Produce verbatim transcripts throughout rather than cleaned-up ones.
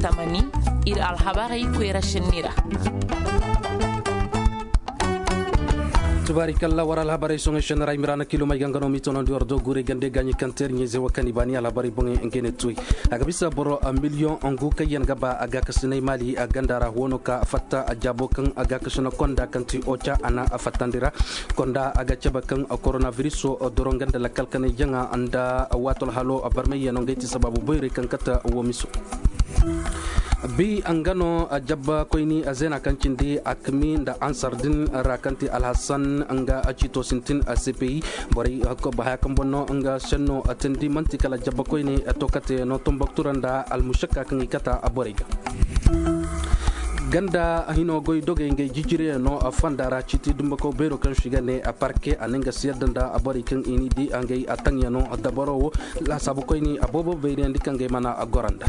Tamani, iri alhabarey koyra senni ra. Tubaari kalla war alhabarey soŋey senni ra i miraana kilo may gangano m'i tonandi war do guurey gande gaaɲi kaŋ teeri ɲayze wo kaŋ i baani alhabarey boŋey ngey ne tuy. A ga bisa boro miliyoŋ ngu kaŋ yaŋ ga ba a gaakasinay maali a ganda ra wano ka fatta a jaabo kaŋ a gaakasina konda kaŋ ti oca a na a fattandi ra. Konda a ga cabe kaŋ koronabiriso doroŋ ganda lakkal kanay jaŋa nda waato alhalo barmay yaŋ no ngey ti sabaabu boyray kaŋ kate wo miso. Bi nga no jabba koyni zeena kaŋ cindi akmi nda ansar din ra kaŋ ti alhasan nga cito sintin cpi borey haya kaŋ boŋ no nga senno tindi manti kala jabba koyne tokate no tomboktura nda almushakka kaŋ i kata borey ga. Ganda hino goy dogey ngey jijiriyaŋ no fonda ra citi dumbakaw beero kaŋ si ga ne parke a ne nga si yadda nda borey kaŋ i ni di ngey a taŋyaŋo dabaro wo. Lasaabu koyni a boobo bayriyandi kaŋ gay mana a goranda.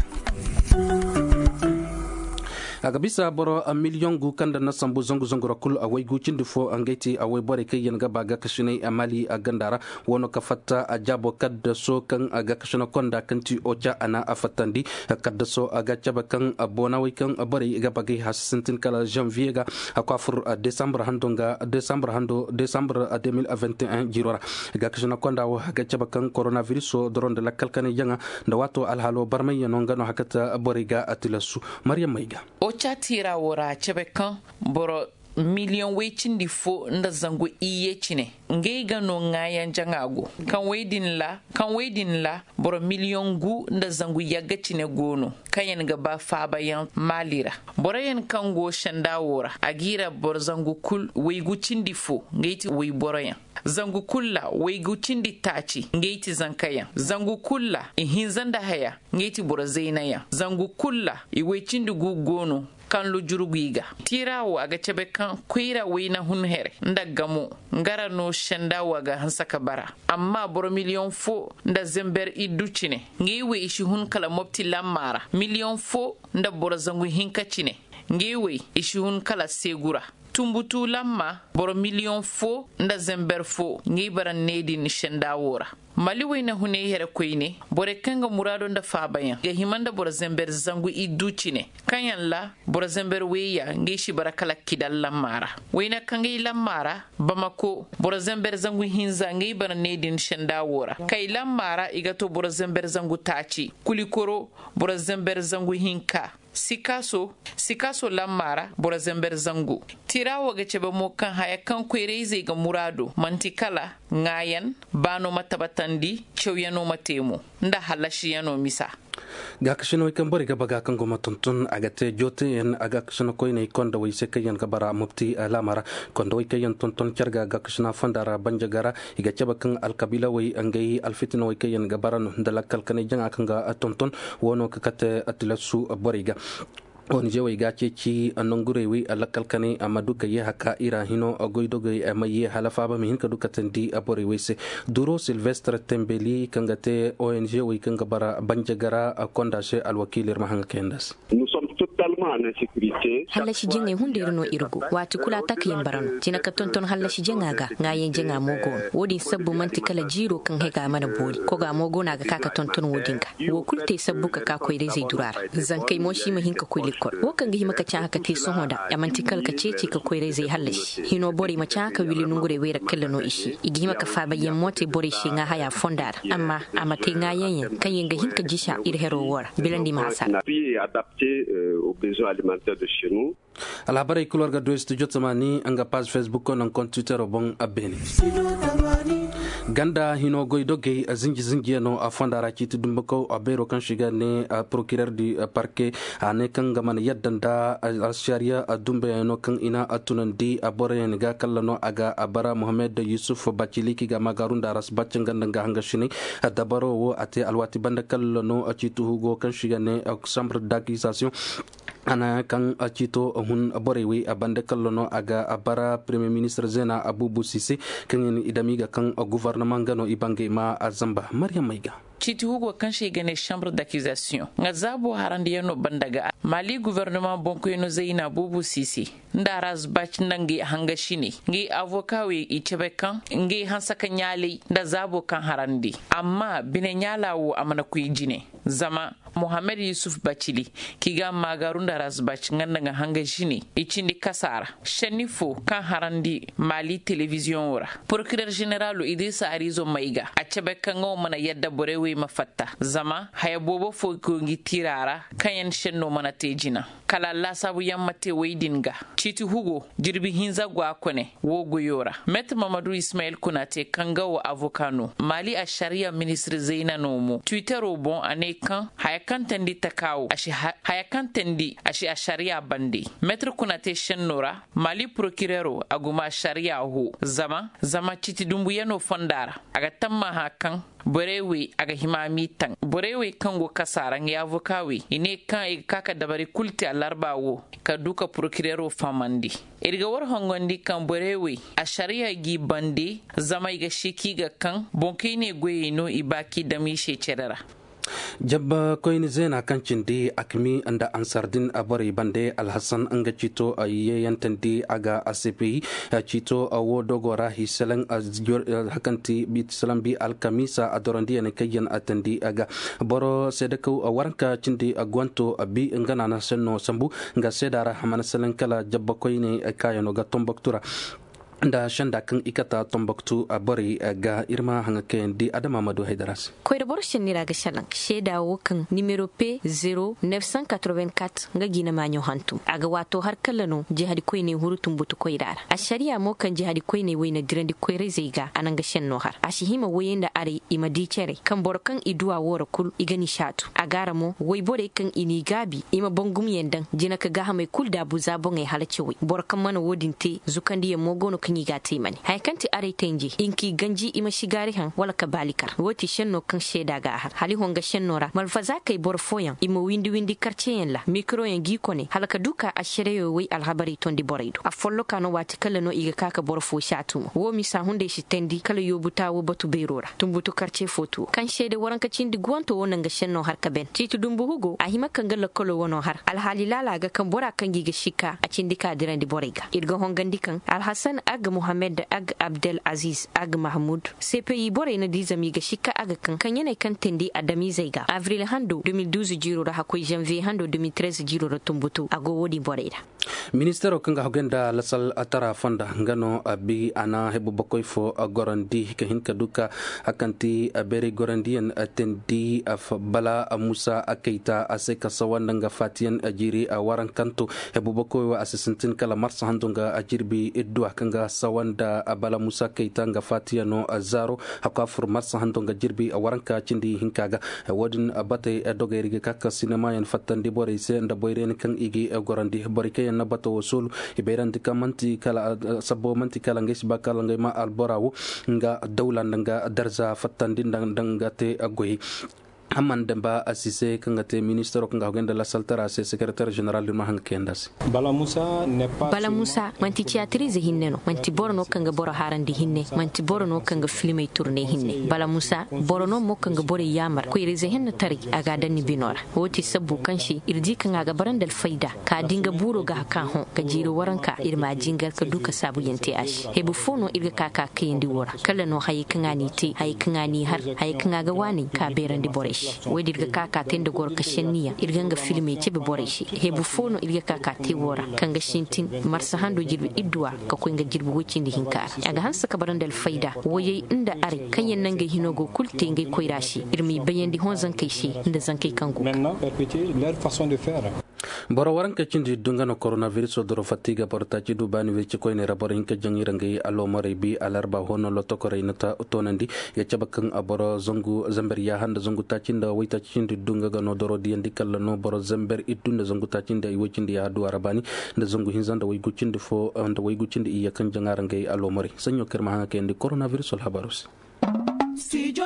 A ga bisa boro miliyoŋ gu kaŋ da na sambu zangu zangu ra kulu a waygu cindi fo ngey ti a wayborey kaŋ yaŋ ga ba ga kasinay mali a ganda ra. Wano ka fatta a jaabo kaddaso kaŋ a ga kasina konda kaŋ ti oca a na a fattandi. Kaddaso a ga cabe kaŋ boonawey kaŋ borey ga bagay hasi sintin kala janvier ga a ko a fur desambre hando nga desambre hando desambre deux mille vingt et un jiro ra. Ga kasina konda wo a ga cabe kaŋ koronaviriso doro nda lakkal kanay jaŋa nda waato alhaalo barmayyaŋo nga no hakata borey ga a tilasu. Maryam may ga. Oca tiira wo ra a cabe kaŋ boro miliyoŋ way cindi fo nda zangu iyye cine ngey ga no ŋaayaŋ jaŋa go. Kaŋ way din ra kaŋ way din ra boro miliyoŋ gu nda zangu yagga cine go no kaŋ yaŋ ga ba faabayaŋ maali ra. Boroyaŋ kaŋ go senda wo ra a g'i ra boro zangu kulu waygu cindi fo ngey ti wayboroyaŋ. Zangu kulu ra waygu cindi taaci ngey ti zankayaŋ. Zangu kulu ra ihinza nda haya ngey ti boro zaynayaŋ. Zangu kulu ra iway cindi gu go no kaŋ lujuru go i ga. Tiira wo a ga cabe kaŋ koyra wayna hun here nda gamo nga ra no senda wo a ga hanse ka bara. Amma boro miliyoŋ fo nda zember iddu cine ngey wo i si hun kala mopti lamma ra. Miliyoŋ fo nda boro zangu hinka cine ngey wo i si hun kala seegu ra. Tumbutu lamma boro miliyoŋ fo nda zember fo ngey bara ne din senda wo ra. Mali wayna hunay here koyne borey kaŋ ga muraado nda faabayaŋ ga hima nda boro zember zangu iddu cine kaŋ yaŋ ra boro zember wayya ngey si bara kala kidal lamma ra. Wayna kaŋ gay lamma ra bamako boro zember zangu hinza ngey bara ne din senda wo ra. Kay lamma ra i ga to boro zember zangu taaci kulikoro boro zember zangu hinka. Sikaso sikaso lamma ra boro zember zangu. Tira wo ga cabe mo kaŋ haya kaŋ koyrayzey ga muraado manti kala ŋaayan baano ma tabatandi cawyaŋo ma te mo nda hallashiyaŋo misa. Gaakasinawey kaŋ borey ga baga kaŋ go ma tonton a ga te jooteyaŋ a gaakasina koyney kondawey se kaŋ yaŋ ga bara mopti laama ra. Kondawey kaŋ yaŋ tonton care ga gaakasina fonda ra banjaga ra i ga cabe kaŋ alkabiilawey ngey alfitinawey kaŋ yaŋ ga bara no nda lakkal kanay jaŋa kaŋ ga tonton. Wo no ka kate tilasu borey ga. Onize wey ga ceeci nangurey wey lakkal kanay a ma du ka ye haka ira hino goydogey ma ye hala faaba ma hin ka du ka tandi borey wey se. Duro silvestre tembeli kaŋ ga te onize wey kaŋ ga bara banjagara konda se alwakiili ir ma haŋ ga kayanda se. Hallasi jaŋey hunday ra no iri go waati kulu a taka yaŋ bara no jina ka tonton hallasi jaŋa ga ŋaayaŋ jaŋa mo go no wo- din sabbu manti kala jiiro kaŋ hega mana boori koga mo go no a ga ka ka tonton wo- din ga. Wo kulu te sabbu ka ka koyrayzey dura ra. Zankey mo si ma hin ka koy likol wo kaŋ ga hima ka caaha ka te sohõ nda a manti kala ka ceeci ka koyrayzey hallasi hino borey ma caaha ka wille nongurey wey ra kalla no i se i ga hima ka faabayyaŋ mo te borey se ŋaahaya fonda ra amma a ma te ŋaayaŋ yaŋ kaŋ yaŋ ga hin ka jisa iri hero wo ra. Bilandi ma hasara. Alhabarey kulu war ga du studio tamani nga paaze facebook naŋ kontitero boŋ a beene. Ganda hino goydogey zinji zinjiyaŋo a fonda ra ciiti dumbakaw a beero kaŋ si ga ne procureur du parke a ne kaŋ nga mana yadda nda alsariya dumbayaŋo kaŋ i na tunandi boroyaŋ ga kalla no a ga bara mohammed yusuf baciliki ga magaaru nda aras bacca nga nda nga hangasinay. Dabaro wo a te alwaati banda kalla no ciiti hugo kaŋ si ga ne chambre d'accusation. A na kaŋ ciito hun borey wey a banda kalla no a ga bara premier ministre zeena abubu sise kaŋ yaŋ i dami ga kaŋ gouvernement nga no i bangay ma a zamba maryam may ga. Ciiti hugo kaŋ se i ga ne chambre d'accusation nga zaabo harandiyaŋo banda ga, mali gouvernement boŋkoyno zayna buubu siise nda razbac nda ngey hanga sine, ngey avoka wey i cabe kaŋ ngey hanse ka ɲaalay nda zaabo kaŋ harandi. Amma bine ɲaala wo a mana koy jine, zama mohammed yusuf bacili, kaŋ i ga a maagaaru nda razbac nga nda nga hanga sine, i cindi kasa ra. Senni fo kaŋ harandi mali televiziyoŋo ra, porokirer zeneralo idrisa arizo mayga a cabe kaŋ nga wo mana yadda borey wey ma fatta, zama haya boobo fo go ngi tiira ra kaŋ yaŋ senno mana te jina. Kala laasaabu yaŋ ma te wey din ga. Ciiti hugo jirbi hinza go a kone wo goyo ra. Meetir mamadu ismayil kuna te kaŋ ga wo avoka no mali a sariya ministir zayna no mo twittero boŋ a ne kaŋ haya kaŋ tandi taka wo a si haya kaŋ tandi a si a sariya bande. Meetir kuna te senno ra mali porokirero a guma sariya ho zama zama ciiti dumbuyaŋo fonda ra a ga tammaha kaŋ borey wey a ga hima m'i taŋ. Borey wey kaŋ go kasa ra ngey avoka wey i ne kaŋ i ga ka ka dabari kulu te alarba wo ka du ka porokirero fahamandi. Iri ga war hongandi kaŋ borey wey a sariya g'i bande zama i ga si kaŋ i ga kaŋ boŋ kaŋ i ne goyey no i ba kaŋ i dam i se care ra. Jabba koyne zeena kaŋ cindi akmi nda ansardin a borey bande alhasan nga ciito a yeeyantandi a ga a sepeyi ciito a wo dogo ra hi selaŋ a hakanti salaŋ bi alkamiisa a dorondiyaŋ kaŋ yaŋ a tandi a ga boro seedakaw a waranka cindi a gwanto a bi nga naana senno sambu nga seeda ra a mana selaŋ kala jabba koyne kaayano ga tomboktu ra. Nda senda kaŋ i kata tomboktu a borey ga iri ma haŋa kayandi adama ma du haydara se. Koyra boro senni ra ga selaŋ seeda wo kaŋ nimero pe zero neuf cent quatre-vingt-quatre nga gina maaɲo hantum a ga waato har kala no jihadi koyney huru tumbutu koyra ra. Assariya mo kaŋ jihadi koyney wayna dirandi koyra-izey ga a naŋ ga senno har a si hima wayey nda arey i ma di care kaŋ boro kaŋ i duwa wo ra kulu i ga ni saatu a ga ra mo wayborey kaŋ i n'i gaabi i ma bangumyaŋ daŋ jina ka gaahamey kulu daabu za boŋey hala cawey boro kaŋ mana wo-din te zukandiyaŋ mo go no kaŋ i ga a te mane haya kaŋ ti arey tanje i nka i ganji i ma sigaari haŋ wala ka baali kar wo ti senno kaŋ seeda ga a har hala i honga senno ra malfazaakey boro fooyaŋ i ma windi windi karceyaŋ ra mikroyaŋ g'i kone hala ka du ka assereyo way alhabarey tondi borey do afolloka no waati kala no i ga ka ka boro fo saatu mo wo misa hunday si tandi kala yoobu taawo batu beero ra tumbutu karce fo tuwo kaŋ seede waranka cindi guwanto wo naŋ ga senno har ka ben ciiti dumbu hugo a hima kaŋ ga lakkalo wano har alhaali laala ga kaŋ bora kaŋ g'i ga sikka a cindi ka dirandi borey ga iri ga hongandi kaŋ alhasan agga mohammed agga abdel aziz agga mahmud cpi borey na di zama i ga sikka agga kaŋ kaŋ yaney kaŋ tindi adamiizey ga avril hando deux mille douze jiiro ra hakkoy janvier hando deux mille treize jiiro ra tumbutu a go wo-din borey ra. Ministaro kaŋ ga haggoy nda lasal tara fonda nga no a bi a na hebu bakoy fo gorandi ka hin ka du ka hakanti beeray gorandiyaŋ tindi bala musa kayta a se ka sawanda nga fatiyaŋ jiiri warankanto hebu bakoy wo a si sintin kala marsa hando nga jirbi idduwa kaŋ ga sawanda bala musa kayta nga fatiyaŋo zaaro hakku a fur marsa hando nga jirbi waranka cindi hinka ga wo-din batey dogey ra i ga ka ka sinemayaŋ fattandi borey se nda boyrayni kaŋ i ga gorandi borey kaŋ yaŋ na bato wo soolu i bayrandi kaŋ manti kala sabbo manti kala ngey si ba kala ngey ma albora wo nga dawla nda nga darza fattandi nda nga te goyey. Hamman damba a si se kaŋ ga te ministaro kaŋ ga haggoy nda lasaltara se secretaire general din ma haŋ ga kayanda se. Bala musa manti tiyatirize hinne no manti boro no kaŋ ga boro harandi hinne manti boro no kaŋ ga filimey turne hinne bala musa boro no mo kaŋ ga borey yaamar koyra ize hinne taray a ga a daŋ ni bino ra. Wo ti sabbu kaŋ se iri di kaŋ a ga bara nda alfayda ka di nga buuro ga ka hõ ga jiiri waranka iri ma a jingar ka du ka saabuyaŋ te a se hebu fo no iri ga ka ka kayandi wo ra kala no hayey kaŋ a n'i te hayey kaŋ a n'i har hayey kaŋ a ga waani ka beerandi borey se. Wo- din iri ga ka ka te nda goro ka senniyaŋ iri ga nga filimey cabe borey se hebu fo no iri ga ka ka te wo ra kaŋ ga sintin marsa hando jirbi idduwa ka koy nga jirbi woy cindi hinka ra a ga hanse ka bara nda alfayda woyey nda arey kaŋ yaŋ na ngey hino go kulu te ngey koyra se iri m'i bayandi hõ zankey se nda zankey kaŋ go ga. Boro waranka cindi iddu nga no koronaviruso doro fatta i ga boro taaci du baani weeci koyney ra boro hinka jaŋ i ra ngey aloomarey bi alarba hõ no lotokorey na toonandi i ga cabe kaŋ boro zangu zamber yaaha nda zangu taaci nda waytaaci cindi iddu nga ga no doro diyandi kala no boro zamber iddu nda zangu taaci nda iway cindi yaaha duwa ra baani nda zangu hinza nda waygu cindi fo nda waygu cindi iyye kaŋ jaŋa ra ngey aloomarey saɲɲo kaŋ iri ma haŋ a kayandi koronaviruso alhabaaro se. Studio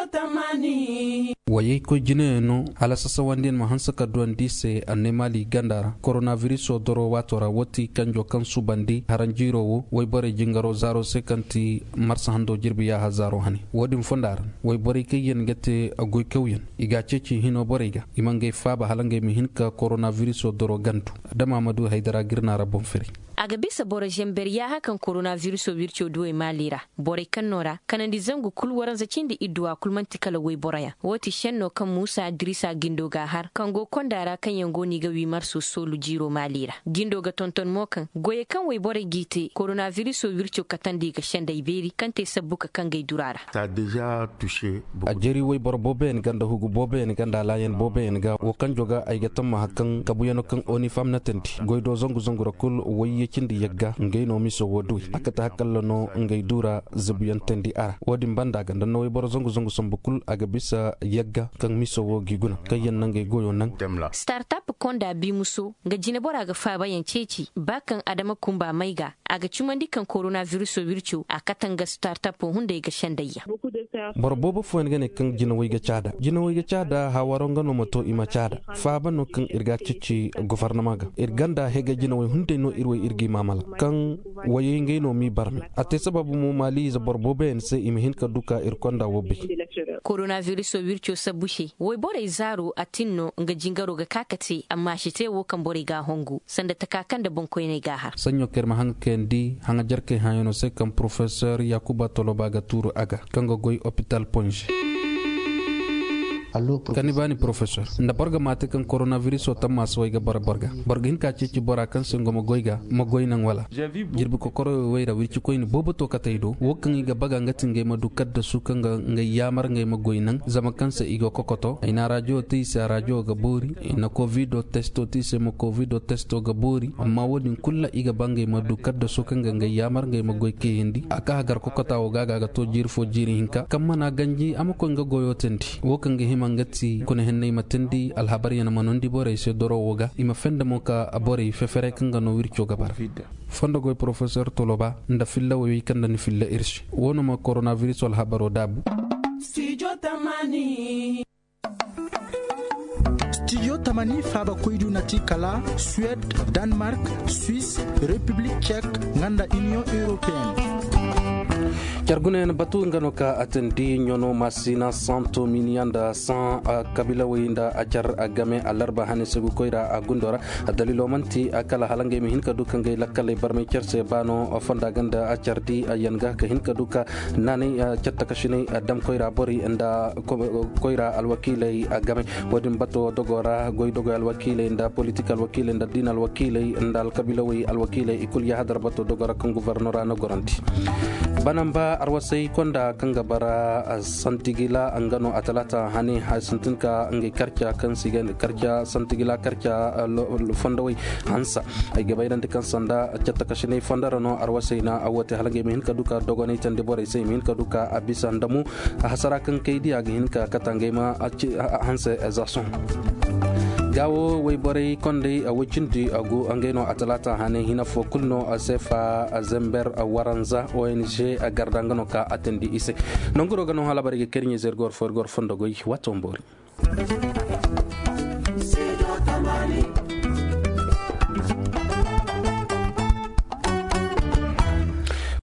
Wayey koy jinayaŋ no hala sasawandiyaŋ ma hanse ka duwandi i se annay maali ganda ra koronabiriso doro waato ra wo ti kanjo kaŋ subandi haranjiiro wo wayborey jingaro zaaro se kaŋ ti marsa hando jirbi yaaha zaaro hane. Wo-din fonda ra wayborey kaŋ yaŋ ga te goykawyaŋ i ga a ceeci hino borey ga i ma ngey faaba hala ngey ma hin ka koronabiriso doro gandu. Adama ma du haydara ga iri naara boŋ firay. A ga bisa boro zamber yaaha kaŋ koronabiriso wirco duwey maali ra. Borey kaŋ no ra kanandi zangu kulu waranza cindi idduwa kulu manti kala wayboroyaŋ. Wo ti senno kaŋ muusa dirisa gindo ga a har kaŋ go konda ra kaŋ yaŋ go no i ga wi marso soolu jiiro maali ra. Gindo ga tonton mo kaŋ goyey kaŋ wayborey g'i te koronabiriso wirco katandi ga sendey beeri kaŋ te sabbu ka kaŋ gay dura ra. A jeeri wayboro booboyaŋ ga nda hugu booboyaŋ ga nda alaayaŋ booboyaŋ ga wo kaŋ joga ay ga tammaha kaŋ kabuyaŋo kaŋ onifam na tandi goy do zangu zangu ra kulu wayye cindi yagga ngey no miso wo duwey a kate hakalla no ngey du ra zabuyaŋ tandi a ra. Wo-din banda ga nda na wayboro zangu zangu sambu kulu a ga bisa yagga kaŋ miso wo g'i guna kaŋ yaŋ na ngey goyo naŋ. Startap konda bimuso nga jinebora ga faabayaŋ ceeci ba kaŋ adama kumba may ga a ga cumandi kaŋ koronabiriso wirco a kate nga startapo hunday ga sendayyaŋ. Boro boobo fooyaŋ ga ne kaŋ jinawey ga caada jinawey ga caada hawaro nga no ma to i ma caada. Faaba no kaŋ iri ga a ceeci gofornama ga iri ganda hega jinawey hunday no iri way iri g'i maamala kaŋ wayey ngey no m'i barme a te sababu mo maali ize boro booboyaŋ se i ma hin ka du ka iri konda wo bay. Koronabiriso wirco sabbu se wayborey zaaro a tin no nga jingaro ga ka ka te amma a si te wo kaŋ borey ga a hongu sanda taka kaŋ nda boŋkoyney ga a har. Saɲɲo kaŋ iri ma haŋa kayandi haŋa jarkey hãyano se kaŋ porofesor yakuba toloba ga tuuru a ga kaŋ ga goy opital ponze. Kani baani porofesor nda boro ga maate kaŋ koronabiriso tammaasawey ga bara boro ga boro ga hin ka ceeci bora kaŋ se ngo ma goy ga ma goy naŋ wala? Jirbi kokoroyo way ra wircikoyne boobo to katey do wo kaŋ i ga baga nga ti ngey ma du kaddasu kaŋ ga ngey yaamar ngey ma goy naŋ zama kaŋ se i go kokoto ay na arajo te i se arajo ga boori i na kovido testo te i se ma kovido testo ga boori amma wo- din kulu ra i ga ba ngey ma du kaddaso kaŋ ga ngey yaamar ngey ma goy kayandi a ka hagar kokota wo ga ga ga to jiiri fo jiiri hinka kaŋ mana ganji a ma koy nga goyo tandi wo kaŋ ga hima nga ti kuna henney ma tandi alhabaryaŋ ma nondi borey se doro wo ga i ma fenda mo ka borey fefere kaŋ ga no wirco ga bara. Fondo goy porofesor toloba nda filla woyoy kaŋ nda ni filla iri se wo no ma koronabiriso alhabaro daabu. Studio tamani faaba koydu na ti kala suwed, danmark, swiss, repiblik cek, nga nda iniyoŋ europeen. Care gunayaŋ batu nga no ka a tandi ɲono masina santo miniyaŋ nda san kabilawey nda a care game a larba hane se ga koy ra a gundo ra. Daliilo manti kala hala ngey ma hin ka du ka ngey lakkaley barmay care se ba no fonda ganda care di yaŋ ga ka hin ka du ka naanay care takasinay damkoy ra borey nda koy ra alwakiiley game. Wo- din bato dogo ra goy dogoy alwakiiley nda politik alwakiiley nda diina alwakiiley nda alkabiilawey alwakiiley i kulu yahadar bato dogo ra kaŋ gufarno ra na gorandi. Banamba arwasay konda kaŋ ga bara santigila nga no a talaata hane hay sintin ka ngey karca kaŋ si ga karca santigila karca fondowey hansa. Ay ga bayrandi kaŋ sanda cattakasinay fondo ra no arwasay na a wo te hala ngey ma hin ka du ka dogonay tandi borey se i ma hin ka du ka a bisa nda mo hasara kaŋ kay di a ga hin ka kata ngey ma hanse za sohõ. Ga wo wayborey kondey a way cindi a go ngey no a talaata hane hina fo kulu no a seefa a zember a waranza ong a garda nga no ka a tandi i se. Nangu do ga no hala bari ga kariɲey zergor fo irgor fondo goy wato mboori.